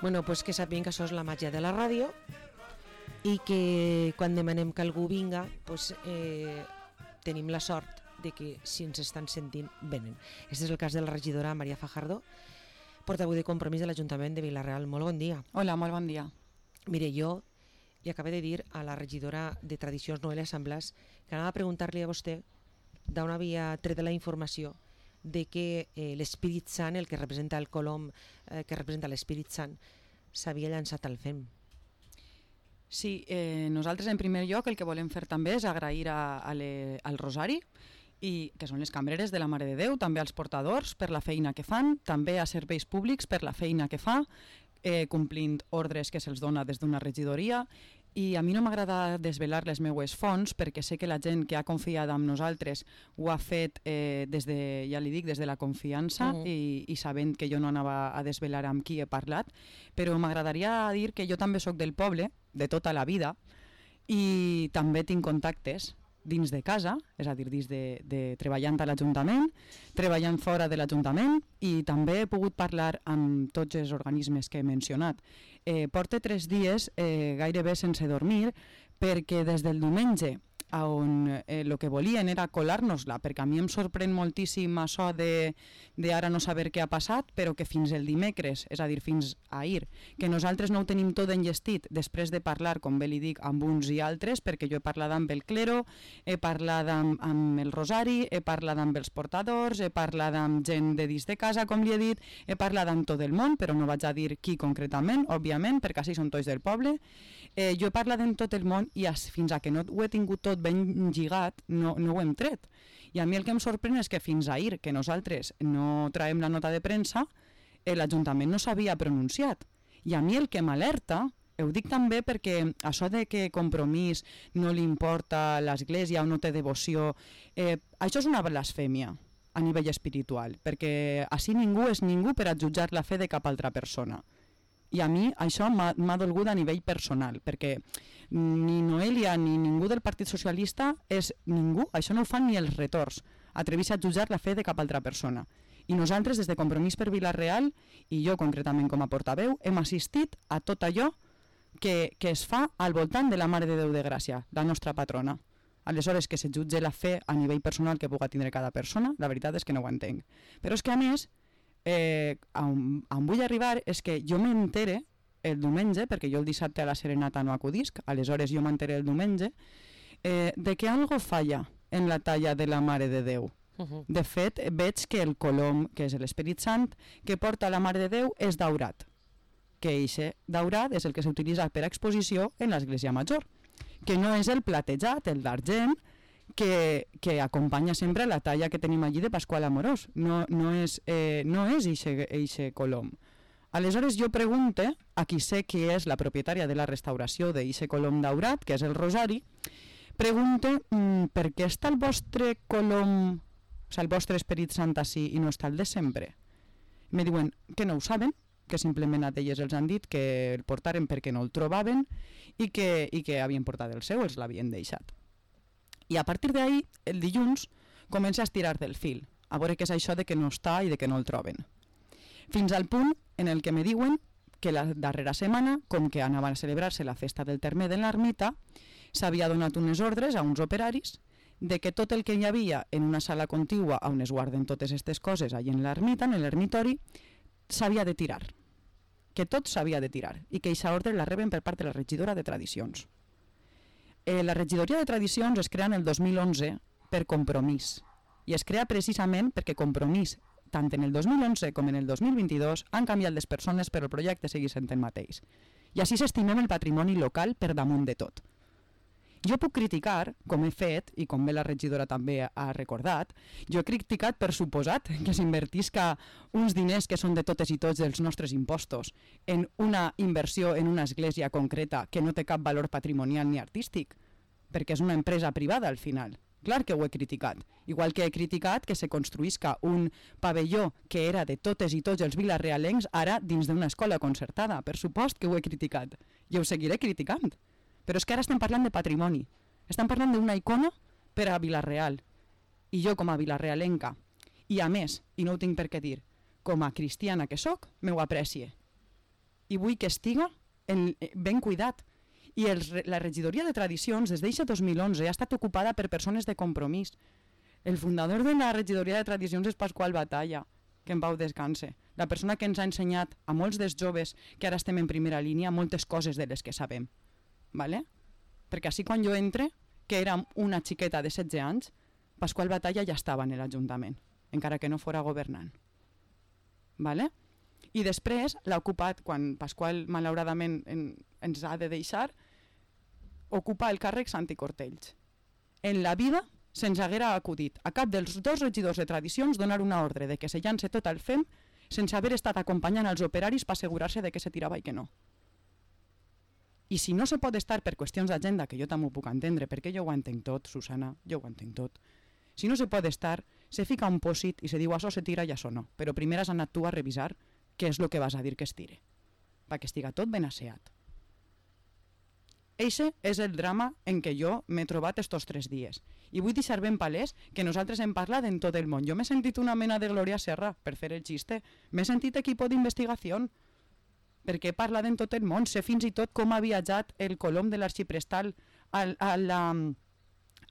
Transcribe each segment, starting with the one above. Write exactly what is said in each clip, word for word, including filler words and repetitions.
Bueno, pues que sàpiguen que això és la màgia de la ràdio i que quan demanem que algú vinga, pues, eh, tenim la sort de que si ens estan sentint, venen. Este és el cas de la regidora Maria Fajardo, portaveu de Compromís de l'Ajuntament de Vila-real. Molt bon dia. Hola, molt bon dia. Mire, jo li acabo de dir a la regidora de Tradicions, Noelia Samblas, que anava a preguntar-li a vostè d'on havia tret de la informació de que eh, l'Espírit Sant, el que representa el colom, eh, que representa l'Espírit Sant, s'havia llançat al fem. Sí, eh, nosaltres en primer lloc el que volem fer també és agrair a, a le, al Rosari, i que són les cambreres de la Mare de Déu, també als portadors per la feina que fan, també a serveis públics per la feina que fa, eh, complint ordres que se'ls dona des d'una regidoria. I a mi no m'agrada desvelar les meues fonts perquè sé que la gent que ha confiat en nosaltres ho ha fet eh, des de, ja li dic, des de la confiança mm. i, i sabent que jo no anava a desvelar amb qui he parlat, però m'agradaria dir que jo també sóc del poble, de tota la vida, i també tinc contactes dins de casa, és a dir, dins de, de treballant a l'Ajuntament, treballant fora de l'Ajuntament, i també he pogut parlar amb tots els organismes que he mencionat. Eh, porto tres dies eh, gairebé sense dormir perquè des del diumenge on eh, el que volien era colar-nos-la, perquè a mi em sorprèn moltíssim això de, de ara no saber què ha passat, però que fins el dimecres, és a dir, fins ahir, que nosaltres no ho tenim tot enllestit després de parlar, com bé li dic, amb uns i altres, perquè jo he parlat amb el clero, he parlat amb, amb el Rosari, he parlat amb els portadors, he parlat amb gent de dins de casa, com li he dit, he parlat amb tot el món, però no vaig a dir qui concretament, òbviament, perquè així són tots del poble. Eh, jo he parlat amb tot el món i fins a que no ho he tingut tot ben lligat, no, no ho hem tret. I a mi el que em sorprèn és que fins ahir, que nosaltres no traiem la nota de premsa, eh, l'Ajuntament no s'havia pronunciat. I a mi el que m'alerta, ho dic també perquè això de que Compromís no li importa l'Església o no té devoció, eh, això és una blasfèmia a nivell espiritual, perquè així ningú és ningú per a jutjar la fe de cap altra persona. I a mi això m'ha dolgut a nivell personal, perquè ni Noelia ni ningú del Partit Socialista és ningú, això no ho fan ni els retors, atrevir-se a jutjar la fe de cap altra persona. I nosaltres, des de Compromís per Vila-real, i jo concretament com a portaveu, hem assistit a tot allò que, que es fa al voltant de la Mare de Déu de Gràcia, la nostra patrona. Aleshores, que se jutge la fe a nivell personal que puga tindre cada persona, la veritat és que no ho entenc. Però és que a més, Eh, on, on vull arribar és que jo m'entere el diumenge, perquè jo el dissabte a la serenata no acudisc, aleshores jo m'entere el diumenge, eh, de que algo falla en la talla de la Mare de Déu. Uh-huh. De fet, veig que el colom, que és l'Esperit Sant, que porta la Mare de Déu és daurat, que eixe daurat és el que s'utilitza per exposició en l'Església Major, que no és el platejat, el d'argent, Que, que acompanya sempre la talla que tenim allí de Pasqual Amorós, no, no és, eh, no és eixe, eixe colom. Aleshores jo pregunte a qui sé qui és la propietària de la restauració d'eixe colom daurat, que és el Rosari, pregunte mm, per què està el vostre colom, o sigui, el vostre Esperit Sant així i no està el de sempre. Me diuen que no ho saben, que simplement a elles els han dit que el portaren perquè no el trobaven i que, i que havien portat el seu, els l'havien deixat. I a partir d'ahir, el dilluns, comença a estirar del fil, a veure què és això de que no està i de que no el troben. Fins al punt en el que me diuen que la darrera setmana, com que anava a celebrar-se la festa del terme de l'ermita, s'havia donat unes ordres a uns operaris de que tot el que hi havia en una sala contigua on es guarden totes aquestes coses allà en l'ermita, en l'ermitori, s'havia de tirar. Que tot s'havia de tirar i que aquesta ordre la reben per part de la regidora de Tradicions. Eh, la regidoria de Tradicions es crea en el dos mil onze per Compromís i es crea precisament perquè Compromís, tant en el dos mil onze com en el dos mil vint-i-dos, han canviat les persones però el projecte segueix sent el mateix. I així s'estimem el patrimoni local per damunt de tot. Jo puc criticar, com he fet, i com bé la regidora també ha recordat, jo he criticat per suposat que s'invertisca uns diners que són de totes i tots dels nostres impostos en una inversió en una església concreta que no té cap valor patrimonial ni artístic, perquè és una empresa privada al final. Clar que ho he criticat. Igual que he criticat que se construïsca un pavelló que era de totes i tots els vilarealencs ara dins d'una escola concertada. Per supost que ho he criticat. I ho seguiré criticant. Però és que ara estem parlant de patrimoni. Estem parlant d'una icona per a Vila-real. I jo com a vilarealenca, i a més, i no ho tinc per què dir, com a cristiana que sóc, m'ho aprecie. i vull que estiga en, ben cuidat. I els, la regidoria de tradicions des d'eixe dos mil onze ha estat ocupada per persones de compromís. El fundador de la regidoria de tradicions és Pasqual Batalla, que en pau descanse. La persona que ens ha ensenyat a molts dels joves que ara estem en primera línia moltes coses de les que sabem. Vale? Perquè així quan jo entre, que era una xiqueta de setze anys, Pasqual Batalla ja estava en l'Ajuntament, encara que no fora governant. Vale? I després l'ha ocupat, quan Pasqual malauradament en, ens ha de deixar, ocupa el càrrec Santi Cortells. En la vida se'ns haguera acudit a cap dels dos regidors de tradicions donar una ordre de que se llance tot al F E M sense haver estat acompanyant els operaris per assegurar-se de que se tirava i que no. I si no se pot estar per qüestions d'agenda, que jo també ho puc entendre, perquè jo ho entenc tot, Susana, jo ho entenc tot. Si no se pot estar, se fica un pòsit i se diu això se tira i això no. Però primer has anat tu a revisar què és el que vas a dir que es tire, perquè estiga tot ben asseat. Eixe és el drama en què jo m'he trobat estos tres dies. I vull deixar ben palès que nosaltres hem parlat en tot el món. Jo m'he sentit una mena de Gloria Serra, per fer el xiste. M'he sentit equip d'investigació, perquè he parlat en tot el món. Sé fins i tot com ha viatjat el colom de l'arxiprestal a, a la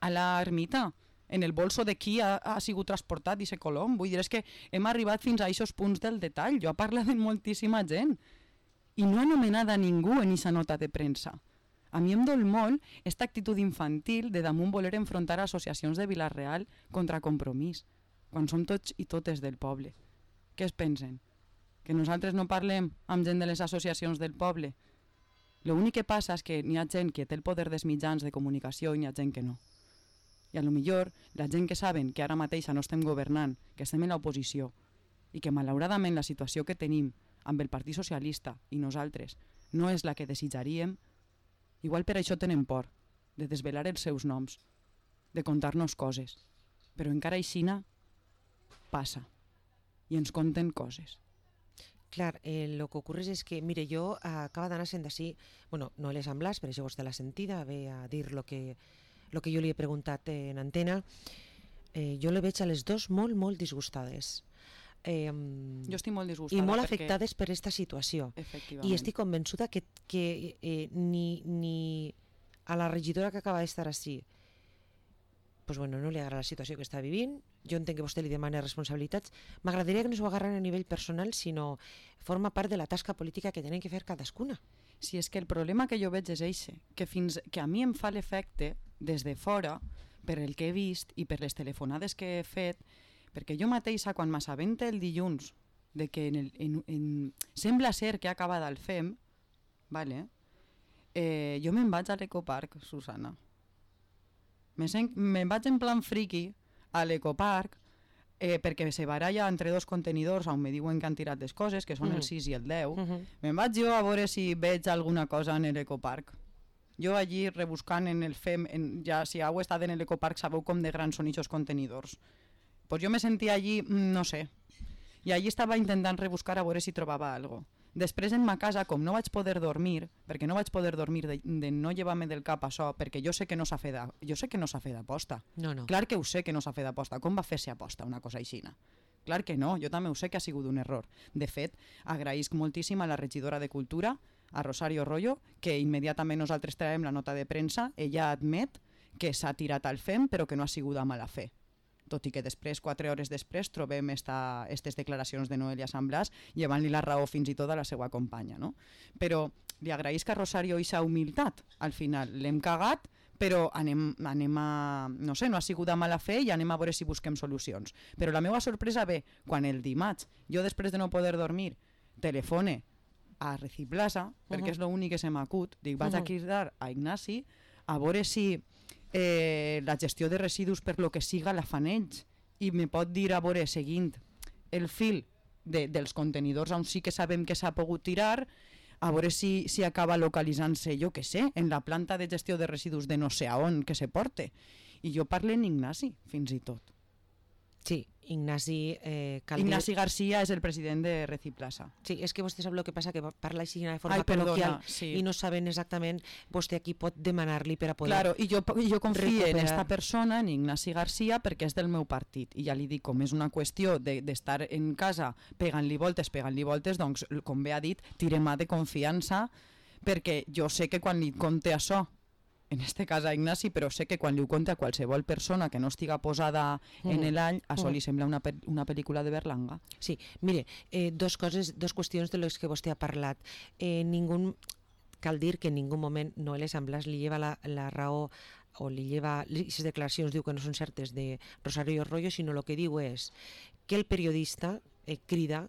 a l'ermita, en el bolso de qui ha, ha sigut transportat i se colom. Vull dir, és que hem arribat fins a aquests punts del detall. Jo he parlat amb moltíssima gent i no he anomenat a ningú en aquesta nota de premsa. A mi em dol molt aquesta actitud infantil de damunt voler enfrontar associacions de Vila-real contra Compromís, quan som tots i totes del poble. Què es pensen? Que nosaltres no parlem amb gent de les associacions del poble? L'únic que passa és que n'hi ha gent que té el poder dels mitjans de comunicació i n'hi ha gent que no. I a lo millor la gent que saben que ara mateixa no estem governant, que estem en l'oposició i que malauradament la situació que tenim amb el Partit Socialista i nosaltres no és la que desitjaríem, igual per això tenen por, de desvelar els seus noms, de contar-nos coses. Però encara aixina passa i ens conten coses. Clar, eh, lo que ocurre és que, mire, jo eh, acaba d'anar sent així, bueno, no les amb l'as, per això vostè l'ha sentida, ve a dir lo que, lo que jo li he preguntat en antena. Eh, jo le veig a les dos molt, molt disgustades. Eh, jo estic molt disgustada. I molt perquè... afectades per aquesta situació. I estic convençuda que, que eh, ni, ni a la regidora que acaba d'estar així pues bueno, no li agrada la situació que està vivint. Jo entenc que vostè li demana responsabilitats. M'agradaria que no s'ho agarren a nivell personal, sinó forma part de la tasca política que tenen que fer cadascuna. Si és que el problema que jo veig és eixe, que fins que a mi em fa l'efecte des de fora, per el que he vist i per les telefonades que he fet, perquè jo mateixa, quan m'assabente el dilluns de que en el, en, en, sembla ser que ha acabat el F E M, vale, eh, jo me'n vaig a l'Ecoparc, Susana. Me'n vaig en plan friki a l'Ecoparc eh, perquè se baralla entre dos contenidors on me diuen que han tirat les coses, que són mm. el sis i el deu. Mm -hmm. Me'n vaig jo a veure si veig alguna cosa en l'Ecoparc. Jo allí rebuscant en el F E M, en, ja si heu estat en l'Ecoparc sabeu com de grans són aquests contenidors. Pues jo me sentia allí, no sé, i allí estava intentant rebuscar a veure si trobava alguna cosa. Després en ma casa, com no vaig poder dormir, perquè no vaig poder dormir de, de no llevar-me del cap això, perquè jo sé que no s'ha fet jo sé que no s'ha fet d'aposta. No, no. Clar que ho sé que no s'ha fet d'aposta. Com va fer-se aposta una cosa aixina? Clar que no, jo també ho sé que ha sigut un error. De fet, agraïsc moltíssim a la regidora de Cultura, a Rosario Rollo, que immediatament nosaltres traiem la nota de premsa, ella admet que s'ha tirat al F E M però que no ha sigut a mala fe. Tot i que després, quatre hores després, trobem aquestes declaracions de Noelia San Blas llevant-li la raó fins i tot a la seva companya. No? Però li agraïsc a Rosario aquesta humilitat. Al final l'hem cagat, però anem, anem a... no sé, no ha sigut a mala fe i anem a veure si busquem solucions. Però la meva sorpresa ve quan el dimarts, jo després de no poder dormir, telefone a Reciplaza, uh-huh. perquè és l'únic que se m'acut, dic, vaig uh-huh. a cridar a Ignasi a veure si eh, la gestió de residus per lo que siga la fan ells i me pot dir a veure, seguint el fil de, dels contenidors on sí que sabem que s'ha pogut tirar, a veure si, si acaba localitzant-se, jo què sé, en la planta de gestió de residus de no sé a on que se porte. I jo parlo en Ignasi, fins i tot. Sí, Ignasi... Eh, Ignasi Garcia és el president de Reciplaza. Sí, és que vostè sap el que passa, que parla així de forma Ai, perdona, col·loquial sí. i no saben exactament vostè aquí pot demanar-li per a poder Claro, i jo, jo confio recuperar. en esta persona, en Ignasi Garcia, perquè és del meu partit. I ja li dic, com és una qüestió d'estar de, en casa pegant-li voltes, pegant-li voltes, doncs, com bé ha dit, tirem a de confiança, perquè jo sé que quan li conte això, en este cas a Ignasi, però sé que quan li ho conta a qualsevol persona que no estiga posada mm. en l'any, això mm. li sembla una, pe una pel·lícula de Berlanga. Sí, mire, eh, dos coses, dos qüestions de les que vostè ha parlat. Eh, ningú, cal dir que en ningú moment Noelia San Blas li lleva la, la raó o li lleva, les declaracions diu que no són certes de Rosario Royo, sinó el que diu és que el periodista eh, crida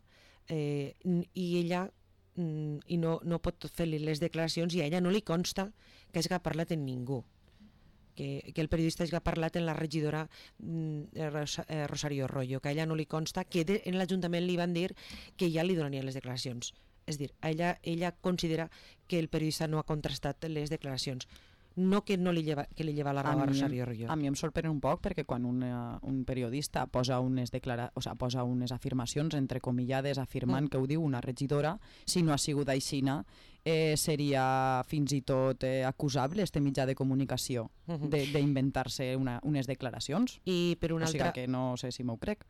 eh, i ella i no, no pot fer-li les declaracions i a ella no li consta que hagi parlat amb ningú, que, que el periodista hagi parlat amb la regidora eh, Rosario Royo, que a ella no li consta que de, en l'Ajuntament li van dir que ja li donarien les declaracions. És dir, ella, ella considera que el periodista no ha contrastat les declaracions, no que no li lleva, que li lleva la raó a, a Rosario Royo. A mi em sorprèn un poc perquè quan un, un periodista posa unes, declara, o sea, posa unes afirmacions entrecomillades afirmant mm. que ho diu una regidora, si no ha sigut aixina, eh, seria fins i tot eh, acusable este mitjà de comunicació mm -hmm. d'inventar-se unes declaracions. I per una o sigui altra... que no sé si m'ho crec.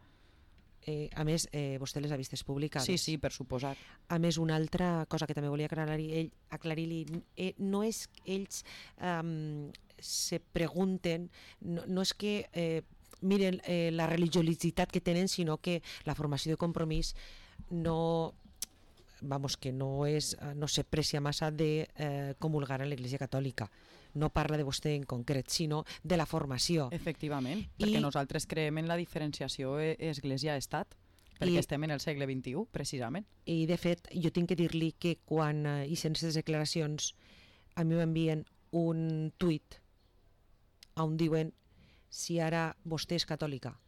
Eh, a més, eh, vostè les ha vistes publicades. Sí, sí, per suposat. A més, una altra cosa que també volia aclarir-li, aclarir eh, no és que ells um, se pregunten, no, no és que eh, miren eh, la religiositat que tenen, sinó que la formació de Compromís no... vamos, que no, és, no s'aprecia massa de eh, comulgar en l'Església Catòlica. No parla de vostè en concret, sinó de la formació. Efectivament, perquè I... nosaltres creiem en la diferenciació Església-Estat, perquè I... estem en el segle vint-i-u, precisament. I, de fet, jo tinc que dir-li que quan eh, hi sense declaracions a mi m'envien un tuit on diuen si ara vostè és catòlica.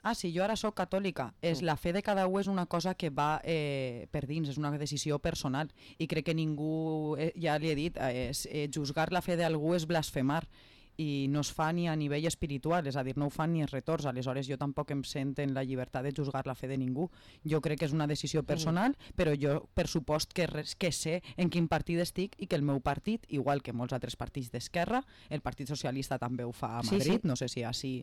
Ah, sí, jo ara sóc catòlica. És, la fe de cada u és una cosa que va eh, per dins, és una decisió personal. I crec que ningú, eh, ja li he dit, eh, eh, juzgar la fe d'algú és blasfemar. I no es fa ni a nivell espiritual, és a dir, no ho fan ni els retorns, aleshores jo tampoc em sento en la llibertat de juzgar la fe de ningú. Jo crec que és una decisió personal, mm. però jo per supost que, res, que sé en quin partit estic i que el meu partit, igual que molts altres partits d'esquerra, el Partit Socialista també ho fa a Madrid, sí, sí. no sé si així,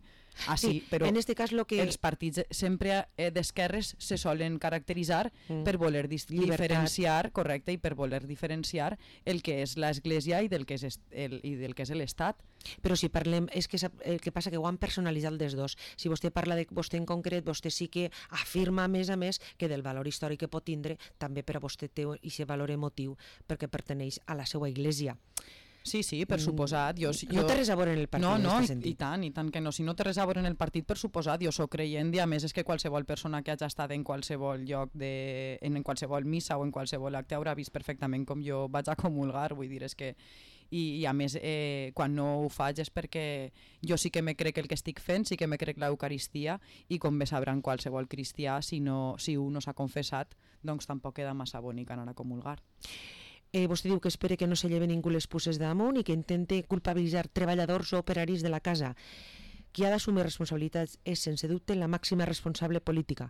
així sí, però en este cas lo que... els partits sempre eh, d'esquerres se solen caracteritzar mm. per voler diferenciar, correcte, i per voler diferenciar el que és l'Església i del que és el, i del que és l'Estat. Però si parlem, és que el que passa que ho han personalitzat dels dos. Si vostè parla de vostè en concret, vostè sí que afirma a més a més que del valor històric que pot tindre, també per a vostè té aquest valor emotiu perquè perteneix a la seva església. Sí, sí, per suposat. Jo, jo... No té res a veure en el partit, no, no, en i, i tant, i tant que no. Si no té res a veure en el partit, per suposat, jo sóc creient i a més és que qualsevol persona que hagi estat en qualsevol lloc, de, en qualsevol missa o en qualsevol acte haurà vist perfectament com jo vaig a comulgar, vull dir, és que i, i a més eh, quan no ho faig és perquè jo sí que me crec el que estic fent, sí que me crec l'Eucaristia i com bé sabran qualsevol cristià, si, no, si un no s'ha confessat, doncs tampoc queda massa bonic anar a comulgar. Eh, vostè diu que espera que no se lleve ningú les puces damunt i que intente culpabilitzar treballadors o operaris de la casa. Qui ha d'assumir responsabilitats és, sense dubte, la màxima responsable política.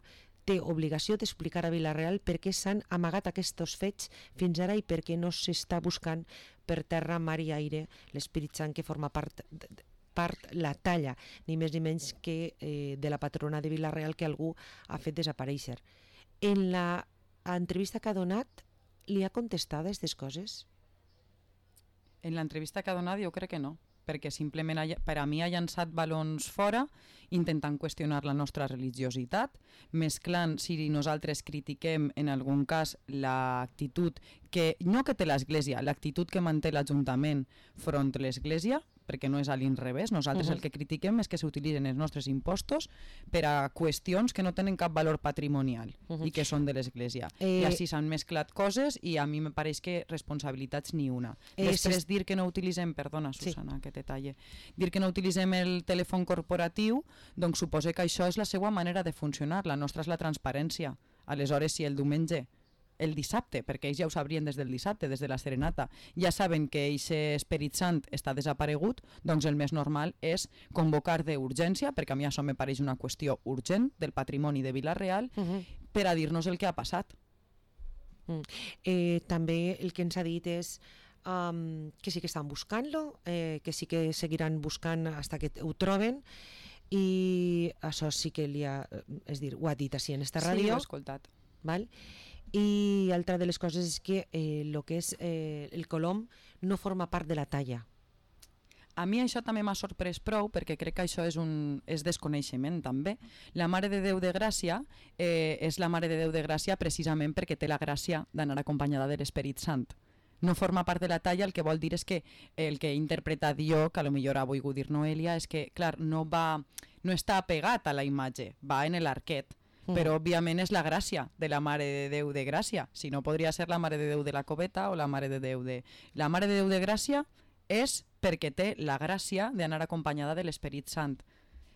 Té obligació d'explicar a Vila-real per què s'han amagat aquests fets fins ara i per què no s'està buscant per terra, mar i aire l'Espírit Sant que forma part, part la talla, ni més ni menys que eh, de la patrona de Vila-real que algú ha fet desaparèixer. En la entrevista que ha donat, li ha contestat aquestes coses? En l'entrevista que ha donat jo crec que no, perquè simplement ha, per a mi ha llançat balons fora intentant qüestionar la nostra religiositat, mesclant si nosaltres critiquem en algun cas l'actitud que, no que té l'Església, l'actitud que manté l'Ajuntament front a l'Església, perquè no és a l'inrevés, nosaltres uh-huh. el que critiquem és que s'utilitzen els nostres impostos per a qüestions que no tenen cap valor patrimonial uh-huh. i que són de l'Església. Eh... I així s'han mesclat coses i a mi me pareix que responsabilitats ni una. Eh, Després si... dir que no utilitzem, perdona Susana, sí. que detalle, dir que no utilitzem el telèfon corporatiu, doncs suposa que això és la seva manera de funcionar, la nostra és la transparència. Aleshores, si el diumenge el dissabte, perquè ells ja ho sabrien des del dissabte, des de la serenata, ja saben que aquest Esperit Sant està desaparegut, doncs el més normal és convocar d'urgència, perquè a mi això me pareix una qüestió urgent del patrimoni de Vila-real, uh-huh. per a dir-nos el que ha passat. Mm. Eh, també el que ens ha dit és um, que sí que estan buscant-lo, eh, que sí que seguiran buscant fins que ho troben, i això sí que li ha, és dir, ho ha dit així en esta ràdio. Sí, ho he escoltat. Val? I altra de les coses és que eh, lo que és eh, el colom no forma part de la talla. A mi això també m'ha sorprès prou, perquè crec que això és un és desconeixement també. La Mare de Déu de Gràcia eh, és la Mare de Déu de Gràcia precisament perquè té la gràcia d'anar acompanyada de l'Esperit Sant. No forma part de la talla, el que vol dir és que el que he interpretat jo, que potser ha volgut dir Noelia, és que, clar, no va, no està apegat a la imatge, va en l'arquet, mm. però òbviament és la gràcia de la Mare de Déu de Gràcia. Si no, podria ser la Mare de Déu de la Coveta o la Mare de Déu de... La Mare de Déu de Gràcia és perquè té la gràcia d'anar acompanyada de l'Esperit Sant.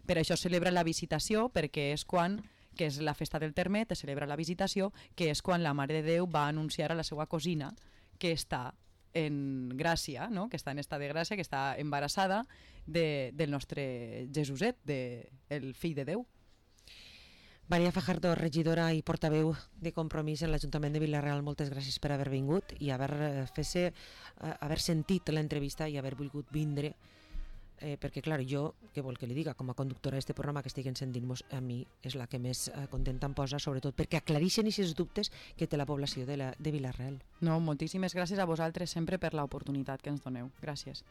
Per això celebra la visitació, perquè és quan, que és la festa del Termet, es celebra la visitació, que és quan la Mare de Déu va anunciar a la seva cosina que està en gràcia, no? Que està en estat de gràcia, que està embarassada de, del nostre Jesuset, de, el fill de Déu. Maria Fajardo, regidora i portaveu de Compromís en l'Ajuntament de Vila-real, moltes gràcies per haver vingut i haver, fer-se, haver sentit l'entrevista i haver volgut vindre, eh, perquè clar, jo, què vol que li diga, com a conductora d'aquest programa que estiguen sentint-nos, a mi és la que més eh, contenta em posa, sobretot perquè aclareixen aquests dubtes que té la població de, la, de Vila-real. No, moltíssimes gràcies a vosaltres sempre per l'oportunitat que ens doneu. Gràcies.